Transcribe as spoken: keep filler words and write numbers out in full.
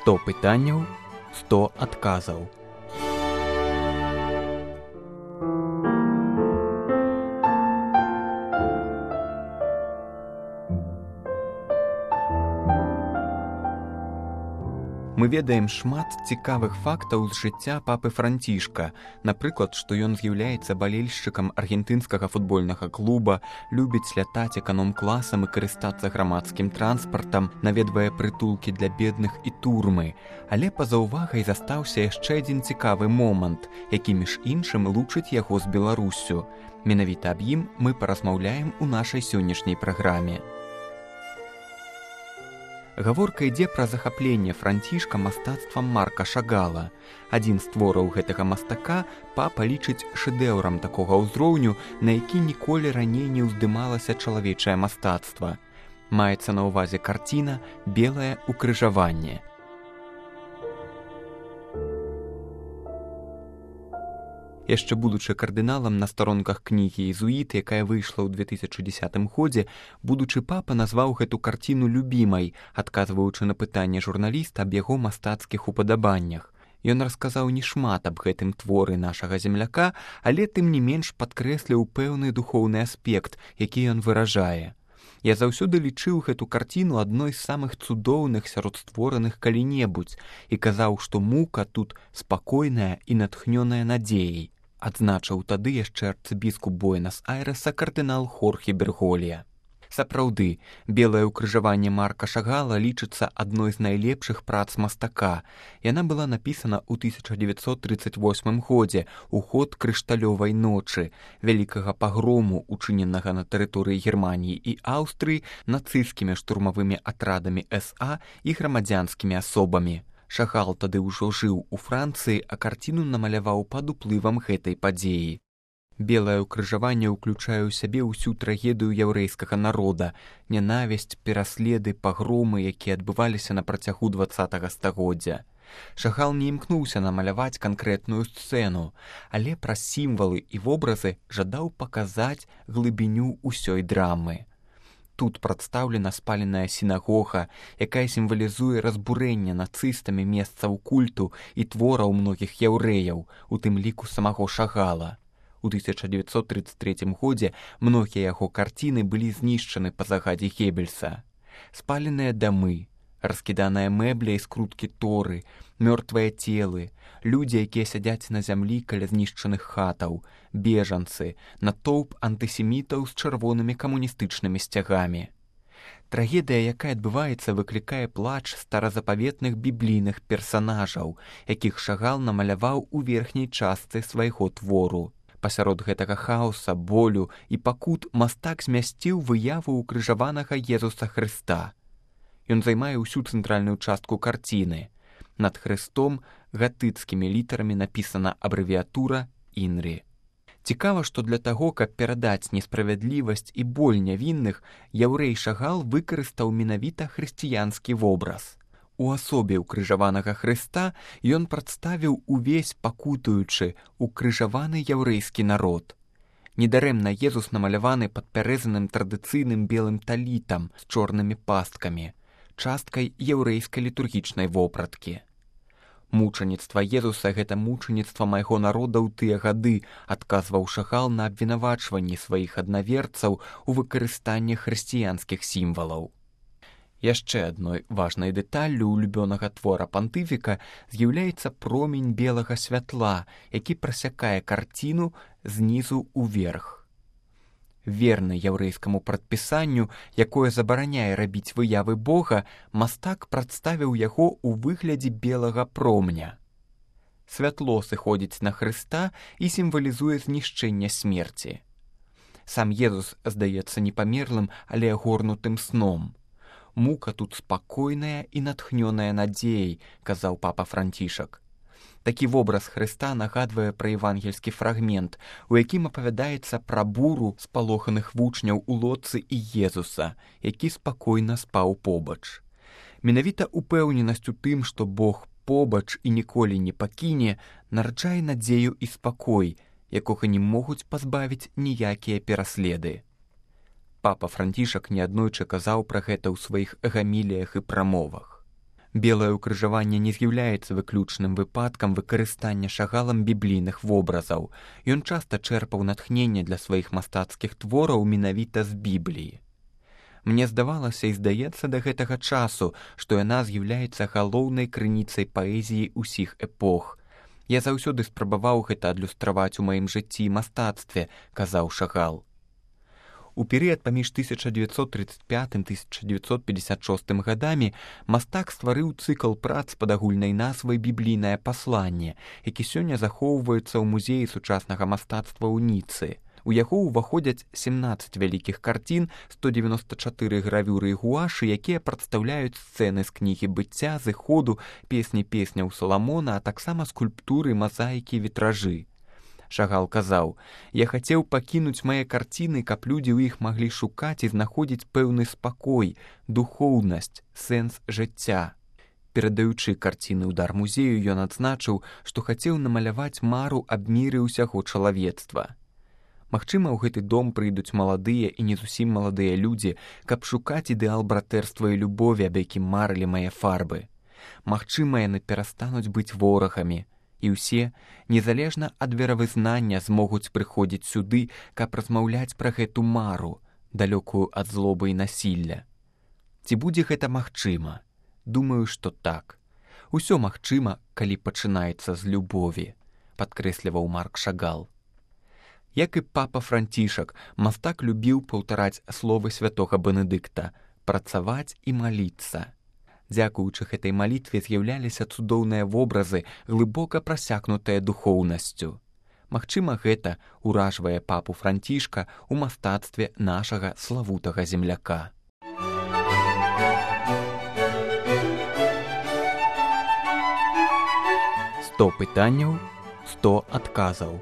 сто пытанняў, сто адказаў. Мы ведаем шмат цікавых фактаў з жыцця папы Францішка. Напрыклад, што ён з'яўляецца балельшчыкам аргентынскага футбольнага клуба, любіць лятаць эканом-класам і карыстацца грамадскім транспартам, наведвае прытулкі для бедных і турмы. Але па-за ўвагай застаўся яшчэ адзін цікавы момант, які між іншым лучыць яго з Беларуссю. Менавіта аб ім мы паразмаўляем у нашай сённяшняй праграме. Гаворка ідзе пра захапленне Францішка мастацтвам Марка Шагала. Адзін з твораў гэтага мастака папа лічыць шэдэўрам такога ўзроўню, на які ніколі раней не ўздымалася чалавечае мастацтва. Маецца на ўвазе карціна «Белае укрыжаванне». Яшчэ будучы кардыналам на старонках кнігі «Езуіт», якая выйшла ў две тысячы дзесятым годзе, будучы папа назваў гэту карціну любімай, адказваючы на пытанне журналіста аб яго мастацкіх упадабаннях. Ён расказаў не шмат аб гэтым творы нашага земляка, але тым не менш падкрэсліў пэўны духоўны аспект, які ён выражае. Я заўсёды лічыў гэту карціну адной з самых цудоўных сярод створаных калі-небудзь і казаў, што мука тут спакойная і натхнёная надзеяй. Адзначыў тады яшчэ арцыбіскуп Буэнас-Айрэса кардынал Хорхе Берголья. Сапраўды, «Белае укрыжаванне» Марка Шагала лічыцца адной з найлепшых прац мастака. Яна была напісана ў тысяча дзевяцьсот трыццаць восьмым годзе у ход крышталёвай ночы, вялікага пагрому, учыненага на тэрыторыі Германіі і Аўстрыі нацысцкімі штурмавымі атрадамі эс а і грамадзянскімі асобамі. Шагал тады ўжо жыў у Францыі, а карціну намаляваў пад уплывам гэтай падзеі. «Белае укрыжаванне» ўключае ў сябе ўсю трагедыю яўрэйскага народа, нянавісць, пераследы, пагромы, якія адбываліся на працягу дваццатага стагоддзя. Шагал не імкнуўся намаляваць канкрэтную сцэну, але праз сімвалы і вобразы жадаў паказаць глыбіню ўсёй драмы. Тут прадстаўлена спаленая сінагога, якая сімвалізуе разбурэнне нацыстамі месцаў культу і твораў многіх яўрэяў, у тым ліку самого Шагала. У тысяча дзевяцьсот трыццаць трэцім годзе многія яго карціны былі знішчаны па загадзе Геббельса. Спаленыя дамы, раскіданыя мэбля і скруткі торы, мёртвыя целы, людзі, якія сядзяць на зямлі каля знішчаных хатаў, бежанцы, натоўп антысемітаў з чырвонымі камуністычнымі сцягамі. Трагедыя, якая адбываецца, выклікае плач старазапаветных біблійных персанажаў, якіх Шагал намаляваў у верхняй частцы свайго твору. Пасярод гэтага хаоса, болю і пакут мастак змясціў выяву укрыжаванага Езуса Хрыста. Ён займае ўсю цэнтральную частку карціны. Над Хрыстом гатыцкімі літарамі напісана абрэвіятура «Інрі». Цікава, што для таго, каб перадаць несправядлівасць і боль нявінных, яўрэй Шагал выкарыстаў менавіта хрысціянскі вобраз. У асобе укрыжаванага Хрыста ён прадставіў увесь пакутуючы укрыжаваны яўрэйскі народ. Недарэмна Езус намаляваны падпярэзаным традыцыйным белым талітам з чорнымі пасткамі, часткай яўрэйскай літургічнай вопраткі. «Мучаніцтва Езуса – гэта мучаніцтва майго народа ў тыя гады», адказваў Шагал на абвінавачванні сваіх аднаверцаў у выкарыстанні хрысціянскіх сімвалаў. Яшчэ адной важнай дэталлю улюбёнага твора пантыфіка з'яўляецца промень белага святла, які прасякае карціну знізу ўверх. Верны яўрэйскаму прадпісанню, якое забараняе рабіць выявы Бога, мастак прадставіў яго ў выглядзе белага промня. Святло сыходзіць на Хрыста і сімвалізуе знішчэнне смерці. Сам Езус здаецца не памерлым, але агорнутым сном. «Мука тут спакойная і натхнёная надзеяй», казаў папа Францішак. Такі вобраз Хрыста нагадвае пра евангельскі фрагмент, у якім апавядаецца пра буру спалоханых вучняў у лодцы і Езуса, які спакойна спаў побач. Менавіта упэўненасць у тым, што Бог побач і ніколі не пакіне, нараджае надзею і спакой, якога не могуць пазбавіць ніякія пераследы. Папа Францішак неаднойчы казаў пра гэта ў сваіх гаміліях і прамовах. Белае ўкрыжаванне не з'яўляецца выключным выпадкам выкарыстання Шагалам біблійных вобразаў. Ён часта чэрпаў натхненне для сваіх мастацкіх твораў менавіта з Бібліі. Мне здавалася і здаецца да гэтага часу, што яна з'яўляецца галоўнай крыніцай паэзіі ўсіх эпох. Я заўсёды спрабаваў гэта адлюстраваць у маім жыцці і мастацтве, казаў Шагал. У перыяд паміж тысяча дзевяцьсот трыццаць пятым - тысяча дзевяцьсот пятьдесят шостым гадамі мастак стварыў цыкл прац пад агульнай назвай «Біблійнае пасланне», які сёння захоўваецца ў музеі сучаснага мастацтва ў Ніцы. У яго ўваходзяць сямнаццаць вялікіх карцін, сто дзевяноста чатыры гравюры і гуашы, якія прадстаўляюць сцэны з кнігі быцця, зыходу, песні песняў Саламона, а таксама скульптуры, мазаікі, вітражы. Шагал казаў: «Я хацеў пакінуць мае карціны, каб людзі ў іх маглі шукаць і знаходзіць пэўны спакой, духоўнасць, сэнс жыцця». Перадаючы карціны ў дар музею, ён адзначыў, што хацеў намаляваць мару аб міры ўсяго чалавецтва. Магчыма, ў гэты дом прыйдуць маладыя і не зусім маладыя людзі, каб шукаць ідэал братэрства і любові, аб якім марылі мае фарбы. Магчыма, яны перастануць быць ворагамі, і ўсе, незалежна ад веравызнання, змогуць прыходзіць сюды, каб размаўляць пра гэту мару, далёкую ад злобы і насілля. Ці будзе гэта магчыма? Думаю, што так. Усё магчыма, калі пачынаецца з любові, падкрэсліваў Марк Шагал. Як і папа Францішак, мастак любіў паўтараць словы святога Бенедыкта «працаваць і маліцца». Дзякуючы гэтай малітве з'яўляліся цудоўныя вобразы, глыбока прасякнутыя духоўнасцю. Магчыма, гэта ўражвае папу Францішка ў мастацтве нашага славутага земляка. сто пытанняў, сто адказаў.